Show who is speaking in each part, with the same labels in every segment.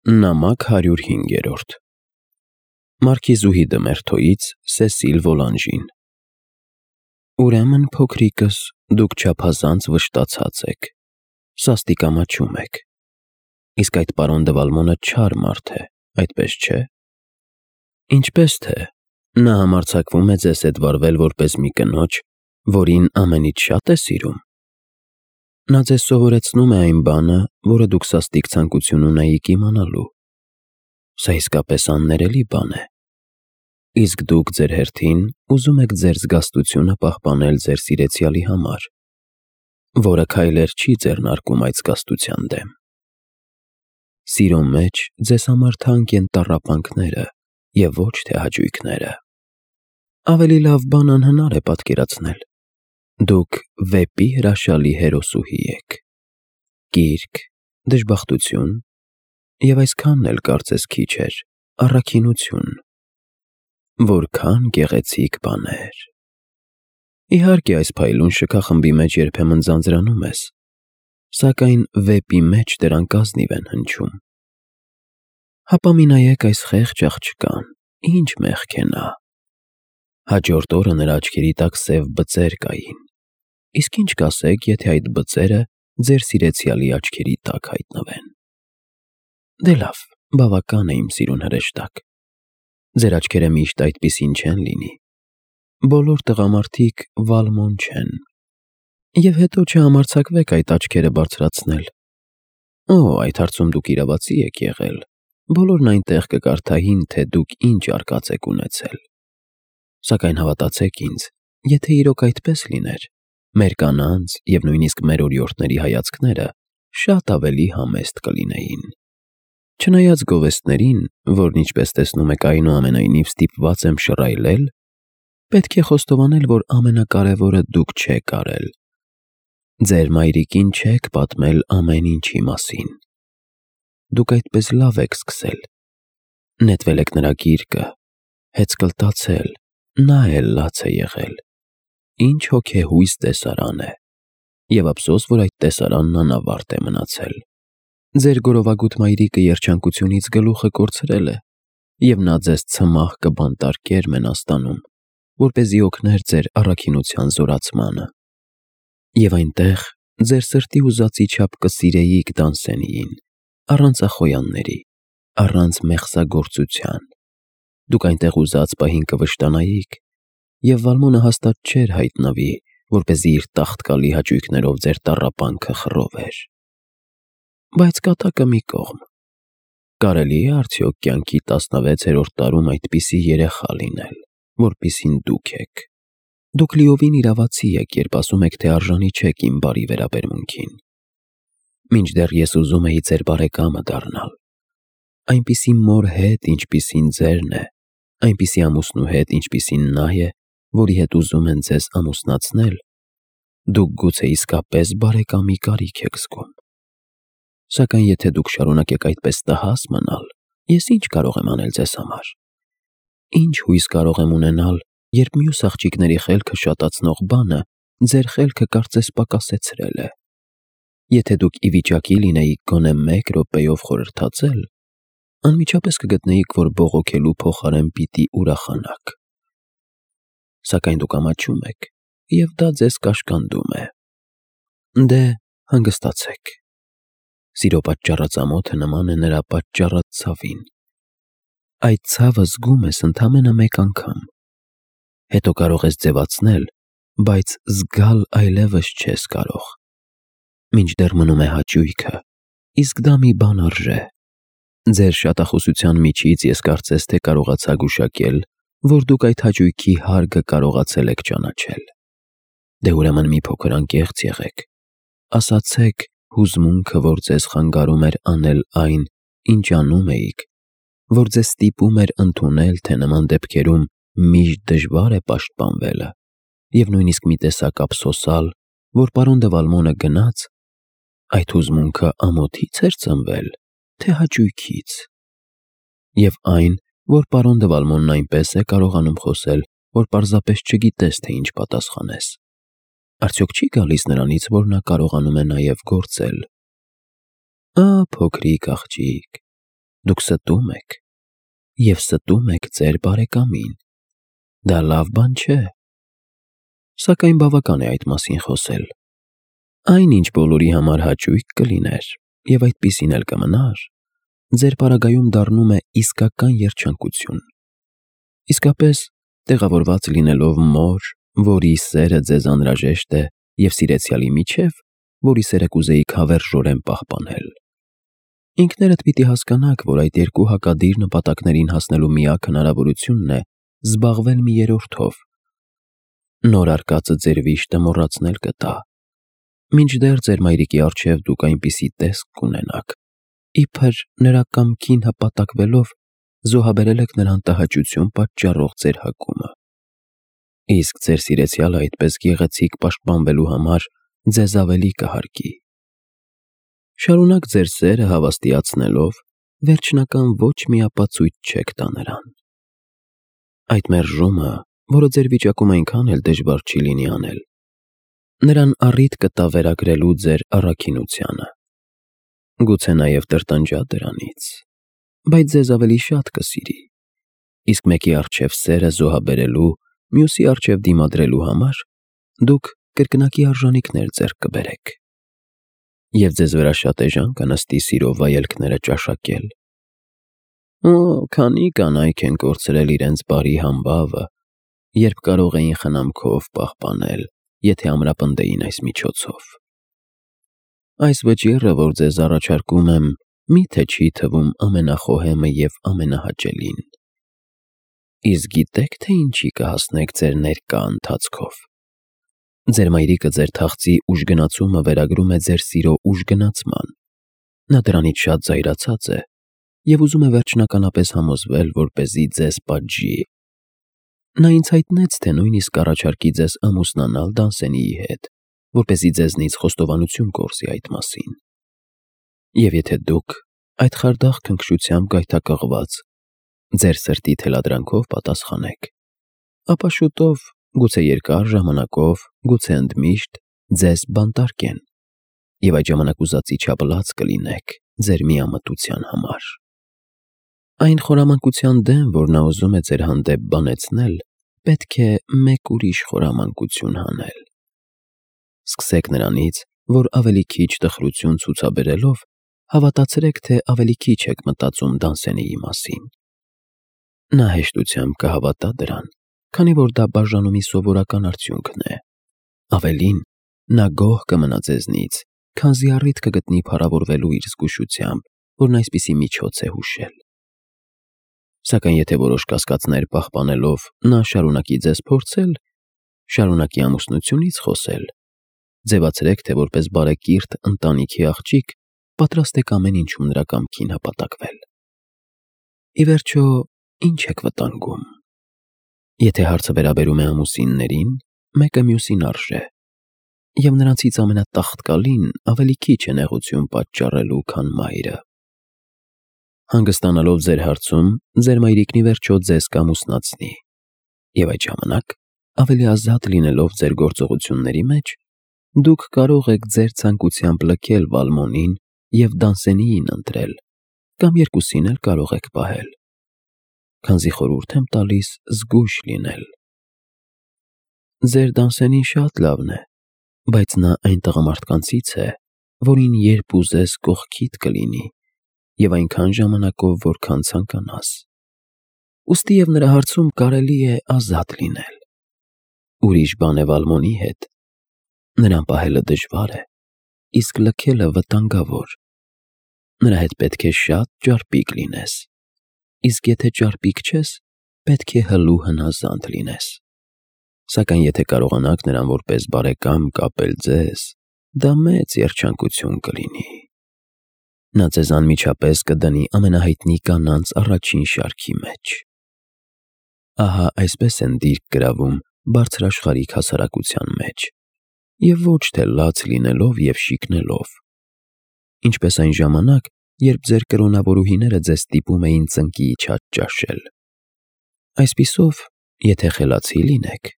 Speaker 1: Նամակ 105 Մարքիզուհի Դմերթոյից Սեսիլ Վոլանժին Ուրեմն փոքրիկս, դուք չափազանց վշտացած եք, սաստիկամաչում եք, իսկ այդ պարոն Դվալմոնը չար մարդ է, այդպես չէ։ Ինչպես թե, նա համարձակվում է ձեզ հետ վարվել որպես մի կնոջ, որին ամենից շատ է սիրում։ Նա ձեզ սովորեցնում է այն բանը, որը դուք սաստիկ ցանկություն ունեիք իմանալու։ Սա իսկապես աններելի բան է։ Իսկ դուք ձեր հերթին ուզում եք ձեր զգաստությունը պահպանել ձեր սիրեցյալի համար, որը քայլեր չի ձեռնարկում այդ զգաստության դեմ։ Սիրո մեջ ձեզ համար թանկ են տառապանքները և ոչ թե հաճույքները։ Ավելի լավ բան անհնար է պատկերացնել։ Դուք վեպի հրաշալի հերոսուհի եք։ Կիրք, դժբախտություն և այսքանն էլ կարծես քիչ էր, առաքինություն։ Որքան գեղեցիկ բաներ։ Իհարկե այս փայլուն շքախմբի մեջ երբեմն ձանձրանում ես, սակայն վեպի մեջ դրանք ազնիվ են հնչում։ Հապա մի նայեք այս խեղճ աղջկան, ինչ մեղք է նա։ Հաջորդ օրը նրա աչքերի տակ սև բծեր կային, իսկ ինչ կասեք, եթե այդ բծերը ձեր սիրեցյալի աչքերի տակ հայտնվեն։ Դե լավ, բավական է իմ սիրուն հրեշտակ։ Ձեր աչքերը միշտ այդպիսին չեն լինի։ Բոլոր տղամարդիկ Վալմոն չեն։ Եվ հետո չհամարձակվեք այդ աչքերը բարձրացնել։ Օ, այդ հարցում դուք իրավացի եք եղել։ Բոլորն այնտեղ կկարդային, թե դուք ինչ արկած եք ունեցել։ Սակայն հավատացեք ինձ, եթե իրոք այդպես լիներ, մեր կանանց և նույնիսկ մեր օրիորդների հայացքները շատ ավելի համեստ կլինեին։ Չնայած գովեստներին, որն ինչպես տեսնում եք այնուամենայնիվ ստիպված եմ շռայլել, պետք է խոստովանել, որ ամենակարևորը դուք չեք արել։ Ձեր մայրիկին չեք պատմել ամեն ինչի մասին։ Դուք այդպես լավ եք սկսել։ Նետվել եք նրա գիրկը, հեծկլտացել, նա էլ լաց է եղել։ Ինչ հոգեհույս տեսարան է։ Եվ ափսոս, որ այդ տեսարանն անավարտ է մնացել։ Ձեր գորովագութ մայրիկը երջանկությունից գլուխը կորցրել է, և նա ձեզ ցմահ կբանտարկեր Մենաստանում, որպեսզի օգներ ձեր առաքինության զորացմանը։ Եվ այնտեղ ձեր սրտի ուզածի չափ կսիրեիք Դանսենիին, առանց ախոյանների, առանց մեղսագործության։ Դուք այնտեղ ուզած պահին կվշտանայիք, և Վալմոնը հաստատ չէր հայտնվի, որպեսզի իր տաղտկալի հաճույքներով ձեր տառապանքը խռովեր։ Բայց կատակը մի կողմ։ Կարելի է արդյոք կյանքի 16-րդ տարում այդպիսի երեխա լինել, որպիսին դուք եք։ Դուք լիովին իրավացի եք, երբ ասում եք, թե արժանի չեք իմ բարի վերաբերմունքին։ Մինչդեռ ես ուզում էի ձեր բարեկամը դառնալ։ Այնպիսի մոր հետ, ինչպիսին ձերն է, այնպիսի ամուսնու հետ, ինչպիսին նա է, որի հետ ուզում են ձեզ ամուսնացնել, դուք գուցե իսկապես բարեկամի կարիք եք զգում։ Սակայն եթե դուք շարունակեք այդպես տհաս մնալ, ես ինչ կարող եմ անել ձեզ համար։ Ինչ հույս կարող եմ ունենալ, երբ մյուս աղջիկների խելքը շատացնող բանը ձեր խելքը կարծես պակասեցրել է։ Եթե դուք ի վիճակի լինեիք գոնե 1 րոպեով խորհրդածել, անմիջապես կգտնեիք, որ բողոքելու փոխարեն պիտի ուրախանաք։ Սակայն դուք ամաչում եք, և դա ձեզ կաշկանդում է։ Դե, հանգստացեք։ Սիրո պատճառածամոթը նման է նրա պատճառած ցավին։ Այդ ցավը զգում ես ընդամենը մեկ անգամ։ Հետո կարող ես ձևացնել, բայց զգալ այլևս չես կարող։ Մինչդեռ մնում է հաճույքը, իսկ դա մի բան արժե։ Ձեր շատախոսության միջից ես կարծես թե կարողացա գուշակել, որ դուք այդ հաճույքի հարգը կարողացել եք ճանաչել։ Դե ուրեմն մի փոքր անկեղծ եղեք։ Ասացեք հուզմունքը, որ ձեզ խանգարում էր անել այն, ինչ անում էիք, որ ձեզ ստիպում էր ընդունել, թե նման դեպքերում միշտ դժվար է պաշտպանվելը, և նույնիսկ մի տեսակ ափսոսալ, որ պարոն Դվալմոնը գնաց, այդ հուզմունքը ամոթի՞ց էր ծնվել, թե հաճույքից։ Եվ այն, որ պարոն Դվալմոնն այնպես է կարողանում խոսել, որ պարզապես չգիտես, թե ինչ պատասխանես։ Արդյոք չի գալիս նրանից, որ նա կարողանում է նաև գործել։ Փոքրիկ աղջիկ, Դուք ստում եք, և ստում եք ձեր բարեկամին։ Դա լավ բան չէ։ Սակայն բավական է այդ մասին խոսել։ Այն, ինչ բոլորի համար հաճույք կլիներ, և այդպիսին էլ կմնար, ձեր պարագայում դառնում է իսկական երջանկություն։ Իսկապես, տեղավորված լինելով մոր, որի սերը ձեզ անհրաժեշտ է, և սիրեցյալի միջև, որի սերը կուզեիք հավերժորեն պահպանել։ Ինքներդ պիտի հասկանաք, որ այդ երկու հակադիր նպատակներին հասնելու միակ հնարավորությունն է զբաղվել մի երրորդով։ Նոր արկածը ձեր վիշտը մոռացնել կտա։ Մինչդեռ ձեր մայրիկի առջև դուք այնպիսի տեսք կունենաք, իբր նրա կամքին հպատակվելով զոհաբերել եք նրան տհաճություն պատճառող ձեր հակումը։ Իսկ ձեր սիրեցյալը այդպես գեղեցիկ պաշտպանվելու համար ձեզ ավելի կհարգի։ Շարունակ ձեր սերը հավաստիացնելով, վերջնական ոչ մի ապացույց չեք տա նրան։ Այդ մերժումը, որը ձեր վիճակում այնքան էլ դժվար չի լինի անել, նրան առիթ կտա վերագրելու ձեր առաքինությանը։ Գուցե նաև տրտնջա դրանից, բայց ձեզ ավելի շատ կսիրի, իսկ մեկի առջև սերը զոհաբերելու, մյուսի առջև դիմադրելու համար դուք կրկնակի արժանիքներ ձեռք կբերեք, և ձեզ վրա շատ էժան կնստի սիրո վայելքները ճաշակել։ Քանի կանայք են կորցրել իրենց բարի համբավը, երբ կարող էին խնամքով պահպանել, եթե ամրապնդեին այս միջոցով։ Այս վճիռը, որ ձեզ առաջարկում եմ, միթե չի թվում ամենախոհեմը և ամենահաճելին։ Իսկ գիտեք, թե ինչի կհասնեք ձեր ներկա ընթացքով։ Ձեր մայրիկը ձեր թախծի ուժգնացումը վերագրում է ձեր սիրո ուժգնացման։ Նա դրանից շատ զայրացած է և ուզում է վերջնականապես համոզվել, որպեսզի ձեզ պատժի։ Նա ինձ հայտնեց, թե նույնիսկ կառաջարկի ձեզ ամուսնանալ Դանսենիի հետ, որպեսզի ձեզնից խոստովանություն կորզի այդ մասին։ Եվ եթե դուք այդ խարդախ քնքշությամբ գայթակղված ձեր սրտի թելադրանքով պատասխանեք, ապա շուտով, գուցե երկար ժամանակով, գուցե ընդմիշտ ձեզ բանտարկեն, և այդ ժամանակ ուզածի չափ լաց կլինեք ձեր միամտության համար։ Այն խորամանկության դեմ, որ նա ուզում է ձեր հանդեպ բանեցնել, պետք է մեկ ուրիշ խորամանկություն հանել։ Սկսեք նրանից, որ ավելի քիչ տխրություն ցուցաբերելով, հավատացրեք, թե ավելի քիչ եք մտածում Դանսենիի մասին։ Նա հեշտությամբ կհավատա դրան, քանի որ դա բաժանումի սովորական արդյունքն է։ Ավելին, նա գոհ կմնա ձեզնից, քանզի առիթ կգտնի փառավորվելու իր զգուշությամբ, որն այսպիսի միջոց է հուշել։ Սակայն եթե որոշ կասկածներ պահպանելով նա շարունակի ձեզ փորձել, շարունակի ամուսնությունից խոսել, ձևացրեք, թե որպես բարեկիրթ ընտանիքի աղջիկ պատրաստ եք ամեն ինչում նրա կամքին հպատակվել։ Ի վերջո, ինչ եք վտանգում։ Եթե հարցը վերաբերում է ամուսիններին, մեկը մյուսին արժե, և նրանցից ամենատաղտկալին ավելի քիչ է նեղություն պատճառելու, քան մայրը։ Հանգստանալով ձեր հարցում, ձեր մայրիկն ի վերջո ձեզ կամուսնացնի, և այդ ժամանակ, ավելի ազատ լինելով ձեր գործողությունների մեջ, դուք կարող եք ձեր ցանկությամբ լքել Վալմոնին և Դանսենիին ընտրել, կամ երկուսին էլ կարող եք պահել, քանզի խորհուրդ եմ տալիս զգույշ լինել։ Ձեր Դանսենին շատ լավն է, բայց նա այն տղամարդկանցից է, որին երբ ուզես կողքիդ կլինի, և այնքան ժամանակով, որքան ցանկանաս։ Ուստի և նրա հարցում կարելի է ազատ լինել։ Ուրիշ բան է Վալմոնի հետ։ Նրան պահելը դժվար է, իսկ լքելը վտանգավոր։ Նրա հետ պետք է շատ ճարպիկ լինես, իսկ եթե ճարպիկ չես, պետք է հլու հնազանդ լինես։ Սակայն եթե կարողանաք նրան որպես բարեկամ կապել ձեզ, դա մեծ երջանկություն կլինի։ Նա ձեզ անմիջապես կդնի ամենահայտնի կանանց առաջին շարքի մեջ։ Ահա այսպես են դիրք գրավում բարձրաշխարհիկ հասարակության մեջ, և ոչ թե լաց լինելով և շիկնելով, ինչպես այն ժամանակ, երբ ձեր կրոնավորուհիները ձեզ ստիպում էին ծնկի իջած ճաշել։ Այսպիսով, եթե խելացի լինեք,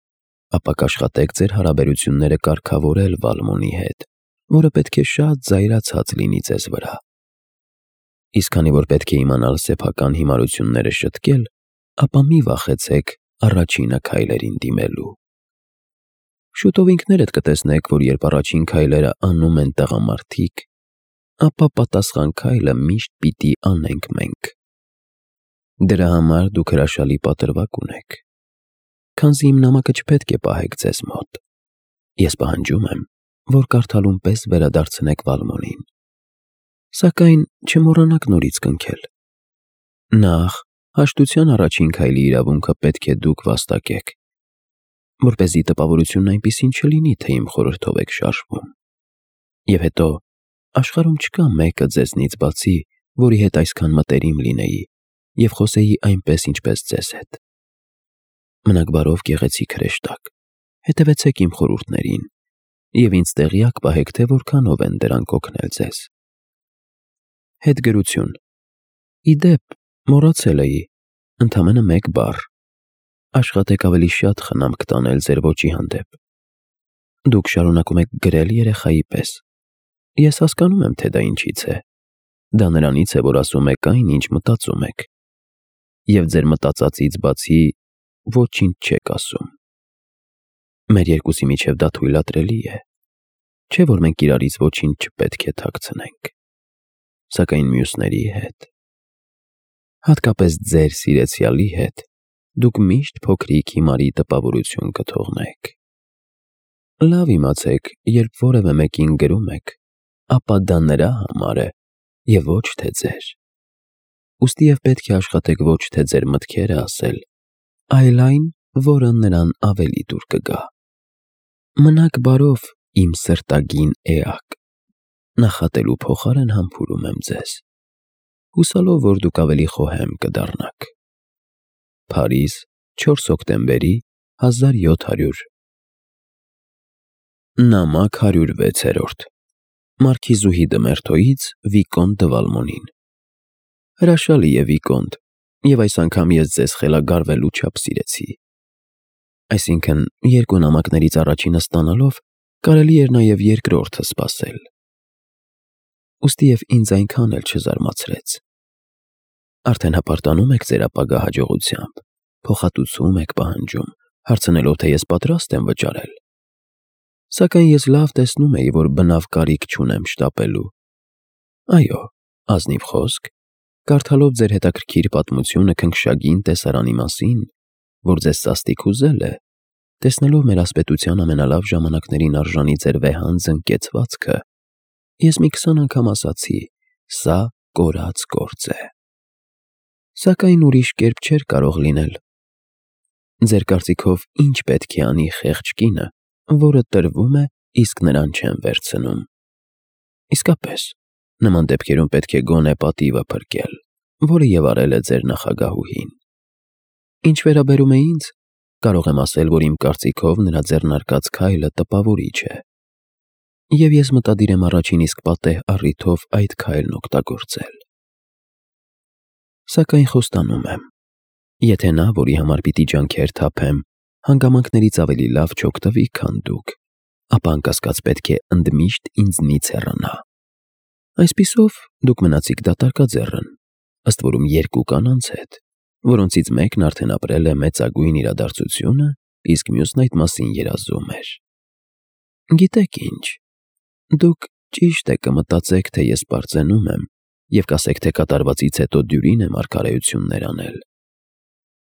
Speaker 1: ապա կաշխատեք ձեր հարաբերությունները կարգավորել Վալմոնի հետ, որը պետք է շատ զայրացած լինի ձեզ վրա։ Իսկ քանի որ պետք է իմանալ սեփական հիմարությունները շտկել, ապա մի վախեցեք առաջինը քայլերին դիմելու։ Շուտով ինքներդ կտեսնեք, որ երբ առաջին քայլերը անում են տղամարդիկ, ապա պատասխան քայլը միշտ պիտի անենք մենք։ Դրա համար դուք հրաշալի պատրվակ ունեք, քանզի իմ նամակը չպետք է պահեք ձեզ մոտ։ Ես պահանջում եմ, որ կարդալուն պես վերադարձնեք Վալմոնին, սակայն չմոռանաք նորից կնքել։ Նախ, հաշտության առաջին քայլի իրավունքը պետք է դուք վաստակեք, որպեսզի տպավորությունն այնպիսին չլինի, թե իմ խորհրդով եք շարժվում։ Եվ հետո, աշխարհում չկա մեկը ձեզնից բացի, որի հետ այսքան մտերիմ լինեի և խոսեի այնպես, ինչպես ձեզ հետ։ Մնաք բարով գեղեցիկ հրեշտակ, հետևեցեք իմ խորհուրդներին և ինձ տեղյակ պահեք, թե որքանով են դրանք օգնել ձեզ։ Հետգրություն։ Ի դեպ, մոռացել էի, ընդամենը մեկ բառ։ Աշխատեք ավելի շատ խնամք տանել ձեր ոճի հանդեպ։ Դուք շարունակում եք գրել երեխայի պես։ Ես հասկանում եմ, թե դա ինչից է։ Դա նրանից է, որ ասում եք այն, ինչ մտածում եք։ Եվ ձեր մտածածից բացի ոչինչ չեք ասում։ Մեր երկուսի միջև դա թույլատրելի է։ Չէ՞ որ մենք իրարից ոչինչ չպետք է թաքցնենք։ Սակայն մյուսների հետ, հատկապես ձեր սիրեցյալի հետ, դուք միշտ փոքրիկ հիմարի տպավորություն կթողնեք։ Լավ իմացեք, երբ որևէ մեկին գրում եք, ապա դա նրա համար է և ոչ թե ձեր։ Ուստի և պետք է աշխատեք ոչ թե ձեր մտքերը ասել, այլ այն, որը նրան ավելի դուր կգա։ Մնաք բարով, իմ սրտագին էակ, նախատելու փոխարեն համբուրում եմ ձեզ, հուսալով, որ դուք ավելի խոհեմ կդառնաք։ Փարիզ, 4 հոկտեմբերի 1700։ Նամակ 106-րդ Մարքիզուհի դը Մերթոյից Վիկոնտ դը Վալմոնին։ Հրաշալի է, Վիկոնտ, և այս անգամ ես ձեզ խելագարվելու չափ սիրեցի։ Այսինքն, երկու նամակներից առաջինը ստանալով, կարելի էր նաև երկրորդը սպասել։ Ուստի և ինձ այնքան էլ չզարմացրեց։ Արդեն հպարտանում եք ձեր ապագա հաջողությամբ, փոխհատուցում եք պահանջում, հարցնելով, թե ես պատրաստ եմ վճարել։ Սակայն ես լավ տեսնում էի, որ բնավ կարիք չունեմ շտապելու։ Այո, ազնիվ խոսք, կարդալով ձեր հետաքրքիր պատմությունը քնքշագին տեսարանի մասին, որ ձեզ սաստիկ հուզել է, տեսնելով մեր ասպետության ամենալավ ժամանակներին արժանի ձեր վեհանձն կեցվածքը, ես մի 20 անգամ ասացի. սա կորած գործ է։ Սակայն ուրիշ կերպ չէր կարող լինել։ Ձեր կարծիքով ինչ պետք է անի խեղճ կինը, որը տրվում է, իսկ նրան չեն վերցնում։ Իսկապես, նման դեպքերում պետք է գոնե պատիվը փրկել, որը և արել է ձեր նախագահուհին։ Ինչ վերաբերում է ինձ, կարող եմ ասել, որ իմ կարծիքով նրա ձեռնարկած քայլը տպավորիչ է։ Եվ ես մտադիր եմ առաջին իսկ պատեհ առիթով այդ քայլն օգտագործել։ Սակայն խոստանում եմ, եթե նա, որի համար պիտի ջանքեր թափեմ, հանգամանքներից ավելի լավ չօգտվի, քան դուք, ապա անկասկած պետք է ընդմիշտ ինձնից հեռանա։ Այսպիսով, դուք մնացիք դատարկաձեռն, ըստ որում երկու կանանց հետ, որոնցից մեկն արդեն ապրել է մեծագույն իրադարձությունը, իսկ մյուսն այդ մասին երազում էր։ Գիտեք ինչ, դուք ճիշտ է կմտածեք, թե ես պարծենում եմ և կասեք, թե կատարվածից հետո դյուրին եմ արքայություններ անել։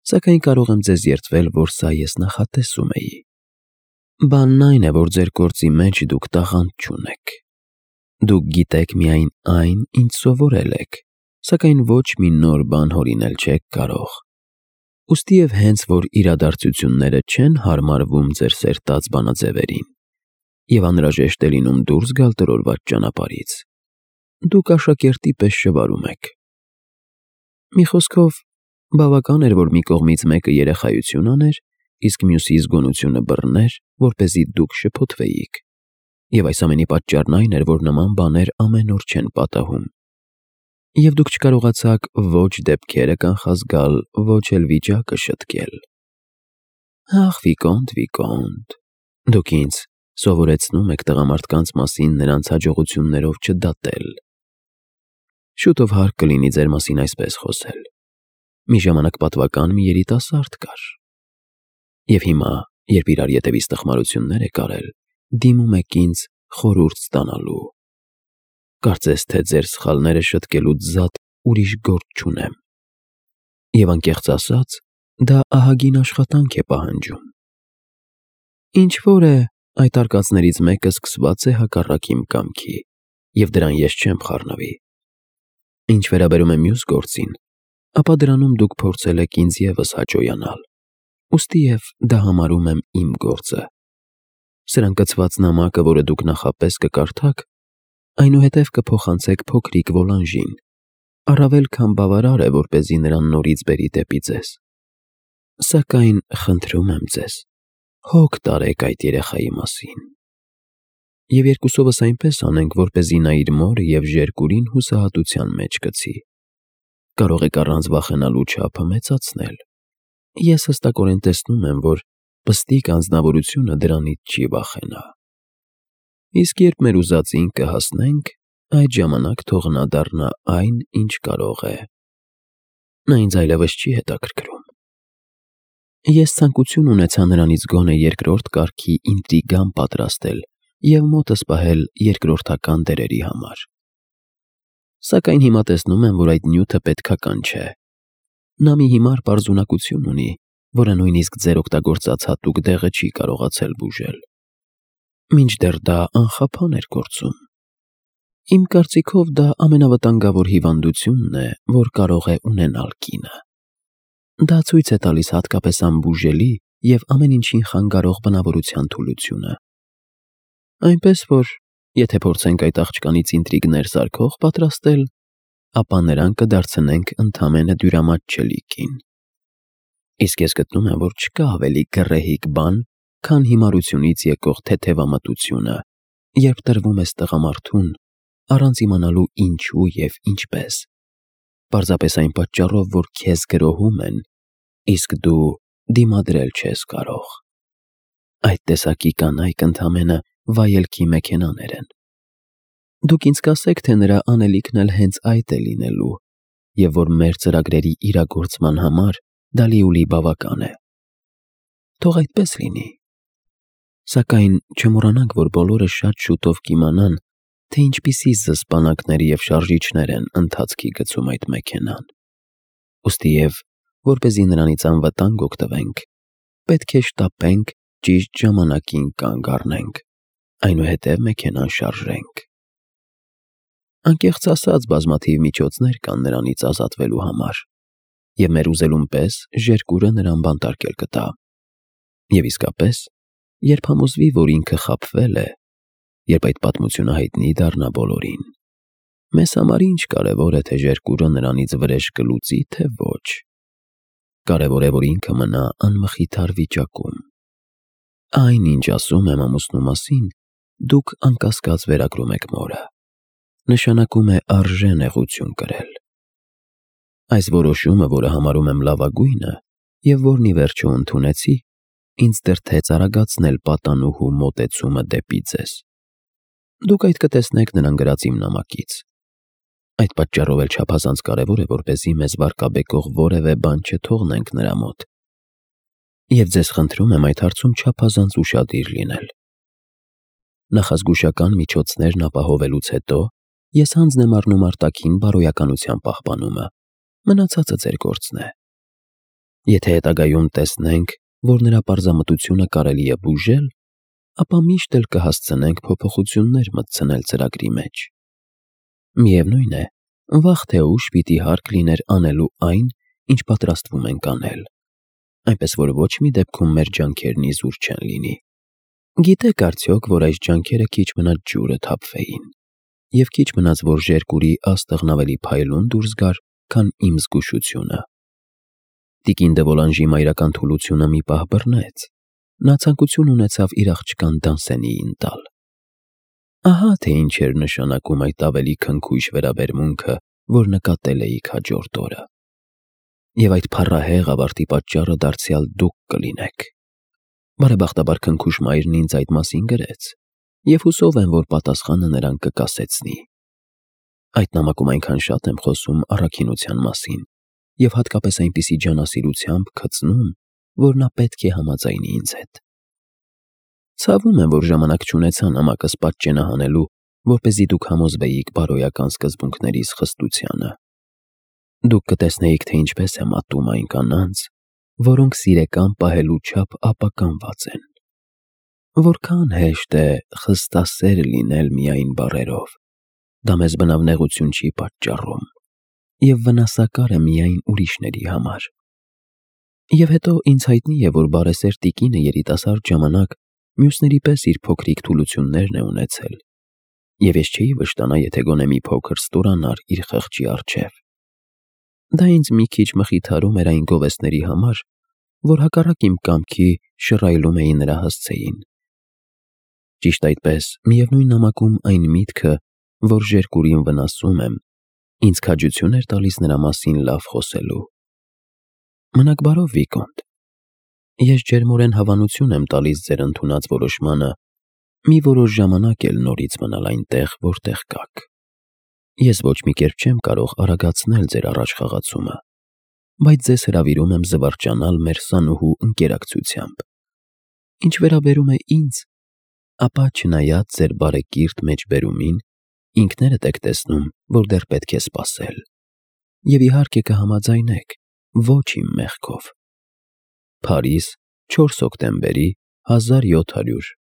Speaker 1: Սակայն կարող եմ ձեզ երդվել, որ սա ես նախատեսում էի։ Բանն այն է, որ ձեր գործի մեջ դուք տաղանդ չունեք։ Դուք գիտեք միայն այն, ինչ սովորել եք, սակայն ոչ մի նոր բան հորինել չեք կարող։ Ուստի և հենց որ իրադարձությունները չեն հարմարվում ձեր սերտած բանաձևերին, և անհրաժեշտ է լինում դուրս գալ տրորված ճանապարհից, դուք աշակերտի պես շվարում եք։ Մի խոսքով, բավական էր, որ մի կողմից մեկը երեխայություն աներ, իսկ մյուսի զգոնությունը բռներ, որպեսզի դուք շփոթվեիք։ Եվ այս ամենի պատճառն այն էր, որ նման բաներ ամեն օր չեն պատահում։ Եվ դուք չկարողացաք ոչ դեպքերը կանխազգալ, ոչ էլ վիճակը շտկել։ Ախ, Վիկոնտ, Վիկոնտ, դուք ինձ սովորեցնում եք տղամարդկանց մասին նրանց հաջողություններով չդատել։ Շուտով հարկ կլինի ձեր մասին այսպես խոսել։ Մի ժամանակ պատվական մի երիտասարդ կար։ Եվ հիմա, երբ իրար ետևից տխմարություններ եք արել, դիմում եք ինձ խորհուրդ ստանալու։ Կարծես թե ձեր սխալները շտկելուց զատ ուրիշ գործ չունեմ։ Եվ անկեղծ ասած, դա ահագին աշխատանք է պահանջում։ Ինչ որ է, այդ արկածներից մեկը սկսված է հակառակ իմ կամքի, և դրան ես չեմ խառնվի։ Ինչ վերաբերում է մյուս գործին, ապա դրանում դուք փորձել եք ինձ ևս հաճոյանալ, ուստիև դա համարում եմ իմ գործը։ Սրան կցված նամակը, որը դուք նախապես կկարդաք, այնուհետև կփոխանցեք փոքրիկ Վոլանժին, առավել քան բավարար է, որպեսզի նրան նորից բերի դեպի ձեզ։ Սակայն խնդրում եմ ձեզ, հոգ տարեք այդ երեխայի մասին։ Եվ երկուսովս այնպես անենք, որպեսզի նա իր մորը և ժերկուրին հուսահատության մեջ գցի։ Կարող եք առանց վախենալու չափը մեծացնել։ Ես հստակորեն տեսնում եմ, որ պստիկ անձնավորությունը դրանից չի վախենա։ Իսկ երբ մեր ուզածին կհասնենք, այդ ժամանակ թող նա դառնա այն, ինչ կարող է։ Նա ինձ այլևս չի հետաքրքրում։ Ես ցանկություն ունեցա նրանից գոնե երկրորդ կարգի ինտրիգան պատրաստել և մոտս պահել երկրորդական դերերի համար։ Սակայն հիմա տեսնում եմ, որ այդ նյութը պետքական չէ։ Նա մի հիմար պարզունակություն ունի, որը նույնիսկ ձեր օգտագործած հատուկ դեղը չի կարողացել բուժել։ Մինչդեռ դա անխափան էր գործում։ Իմ կարծիքով դա ամենավտանգավոր հիվանդությունն է, որ կարող է ունենալ կինը։ Դա ցույց է տալիս հատկապես անբուժելի և ամեն ինչին խանգարող բնավորության թուլությունը։ Այնպես որ, եթե փորձենք այդ աղջկանից ինտրիգներ սարքող պատրաստել, ապա նրան կդարձնենք ընդամենը դյուրամատչելի կին։ Իսկ ես գտնում եմ, որ չկա ավելի գռեհիկ բան, քան հիմարությունից եկող թեթևամտությունը, երբ տրվում ես տղամարդուն, առանց իմանալու ինչու և ինչպես, պարզապես այն պատճառով, որ քեզ գրոհում են, իսկ դու դիմադրել չես կարող։ Այդ տեսակի կանայք ընդամենը վայելքի մեքենաներ են։ Դուք ինձ կասեք, թե նրա անելիքն էլ հենց այդ է լինելու, և որ մեր ծրագրերի իրագործման համար դա լիովին բավական է։ Թող այդպես լինի։ Սակայն չմոռանանք, որ բոլորը շատ շուտով կիմանան, թե ինչպիսի զսպանակներ և շարժիչներ են ընթացքի գցում այդ մեքենան։ Ուստիև, որպեսզի նրանից անվտանգ օգտվենք, պետք է շտապենք ճիշտ ժամանակին կանգ առնենք, այնուհետև մեքենան շարժենք։ Անկեղծ ասած, բազմաթիվ միջոցներ կան նրանից ազատվելու համար, և մեր ուզելուն պես ժերկուրը նրան բանտարկել կտա։ Եվ իսկապես, երբ համոզվի, որ ինքը խաբվել է, երբ այդ պատմությունը հայտնի դառնա բոլորին, մեզ համար ինչ կարևոր է, թե ժերկուրը նրանից վրեժ կլուծի, թե ոչ։ Կարևոր է, որ ինքը մնա անմխիթար վիճակում։ Այն, ինչ ասում եմ ամուսնու մասին, դուք անկասկած վերագրում եք մորը։ Նշանակում է արժե նեղություն կրել։ Այս որոշումը, որը համարում եմ լավագույնը, և որն ի վերջո ընդունեցի, ինձ դրդեց արագացնել պատանուհու մոտեցումը դեպի ձեզ։ Դուք այդ կտեսնեք նրան գրած իմ նամակից։ Այդ պատճառով էլ չափազանց կարևոր է, որպեսզի մեզ վարկաբեկող որևէ բան չթողնենք նրա մոտ։ Եվ ձեզ խնդրում եմ այդ հարցում չափազանց ուշադիր լինել։ Նախազգուշական միջոցներն ապահովելուց հետո ես հանձն եմ առնում արտաքին բարոյականության պահպանումը, մնացածը ձեր գործն է։ Եթե հետագայում տեսնենք, որ նրա պարզամտությունը կարելի է բուժել, ապա միշտ էլ կհասցնենք փոփոխություններ մտցնել ծրագրի մեջ։ Միևնույն է, վաղ թե ուշ պիտի հարկ լիներ անելու այն, ինչ պատրաստվում ենք անել, այնպես որ ոչ մի դեպքում մեր ջանքերն իզուր չեն լինի։ Գիտեք արդյոք, որ այս ջանքերը քիչ մնաց ջուրը թափվեին, և քիչ մնաց, որ ժերկուրի աստղն ավելի փայլուն դուրս գար, քան իմ զգուշությունը։ Տիկին դե Վոլանժի մայրական թուլությունը մի պահ բռնեց։ Նա ցանկություն ունեցավ իր աղջկան Դանսենիին տալ։ Ահա թե ինչ էր նշանակում այդ ավելի քնքուշ վերաբերմունքը, որ նկատել էիք հաջորդ օրը։ Եվ այդ փառահեղ ավարտի պատճառը դարձյալ դուք կլինեք։ Բարեբախտաբար քնքուշ մայրն ինձ այդ մասին գրեց, և հուսով եմ, որ պատասխանը նրան կկասեցնի։ Այդ նամակում այնքան շատ եմ խոսում առաքինության մասին և հատկապես այնպիսի ջանասիրությամբ գծնում, որ նա պետք է համաձայնի ինձ հետ։ Ցավում եմ, որ ժամանակ չունեցա նամակս պատճենահանելու, որպեսզի դուք համոզվեիք բարոյական սկզբունքներիս խստությանը։ Դուք կտեսնեիք, թե ինչպես եմ ատում այն կանանց, որոնք սիրեկան պահելու չափ ապականված են։ Որքան հեշտ է խստասեր լինել միայն բառերով, դա մեզ բնավ նեղություն չի պատճառում և վնասակար է միայն ուրիշների համար։ Եվ հետո ինձ հայտնի է, որ բարեսեր տիկինը երիտասարդ ժամանակ մյուսների պես իր փոքրիկ թուլություններն է ունեցել, և ես չէի վշտանա, եթե գոնե մի փոքր ստորանար իր խղճի առջև։ Դա ինձ մի քիչ մխիթարում էր այն գովեստների համար, որ հակառակ իմ կամքի շռայլում էին նրա հասցեին։ Ճիշտ այդպես, միևնույն նամակում այն միտքը, որ Ժերկուրին վնասում եմ, ինձ քաջություն էր տալիս նրա մասին լավ խոսելու։ Մնաք բարով, Վիկոնտ։ Ես ջերմորեն հավանություն եմ տալիս ձեր ընդունած որոշմանը մի որոշ ժամանակ էլ նորից մնալ այնտեղ, որտեղ կաք։ Ես ոչ մի կերպ չեմ կարող արագացնել ձեր առաջխաղացումը, բայց ձեզ հրավիրում եմ զվարճանալ մեր սանուհու ընկերակցությամբ։ Ինչ վերաբերում է ինձ, ապա չնայած ձեր բարեկիրթ մեջբերումին, ինքներդ եք տեսնում, որ դեռ պետք է սպասել, և իհարկե կհամաձայնեք, ոչ իմ մեղքով։ Փարիզ, 4 հոկտեմբերի 1700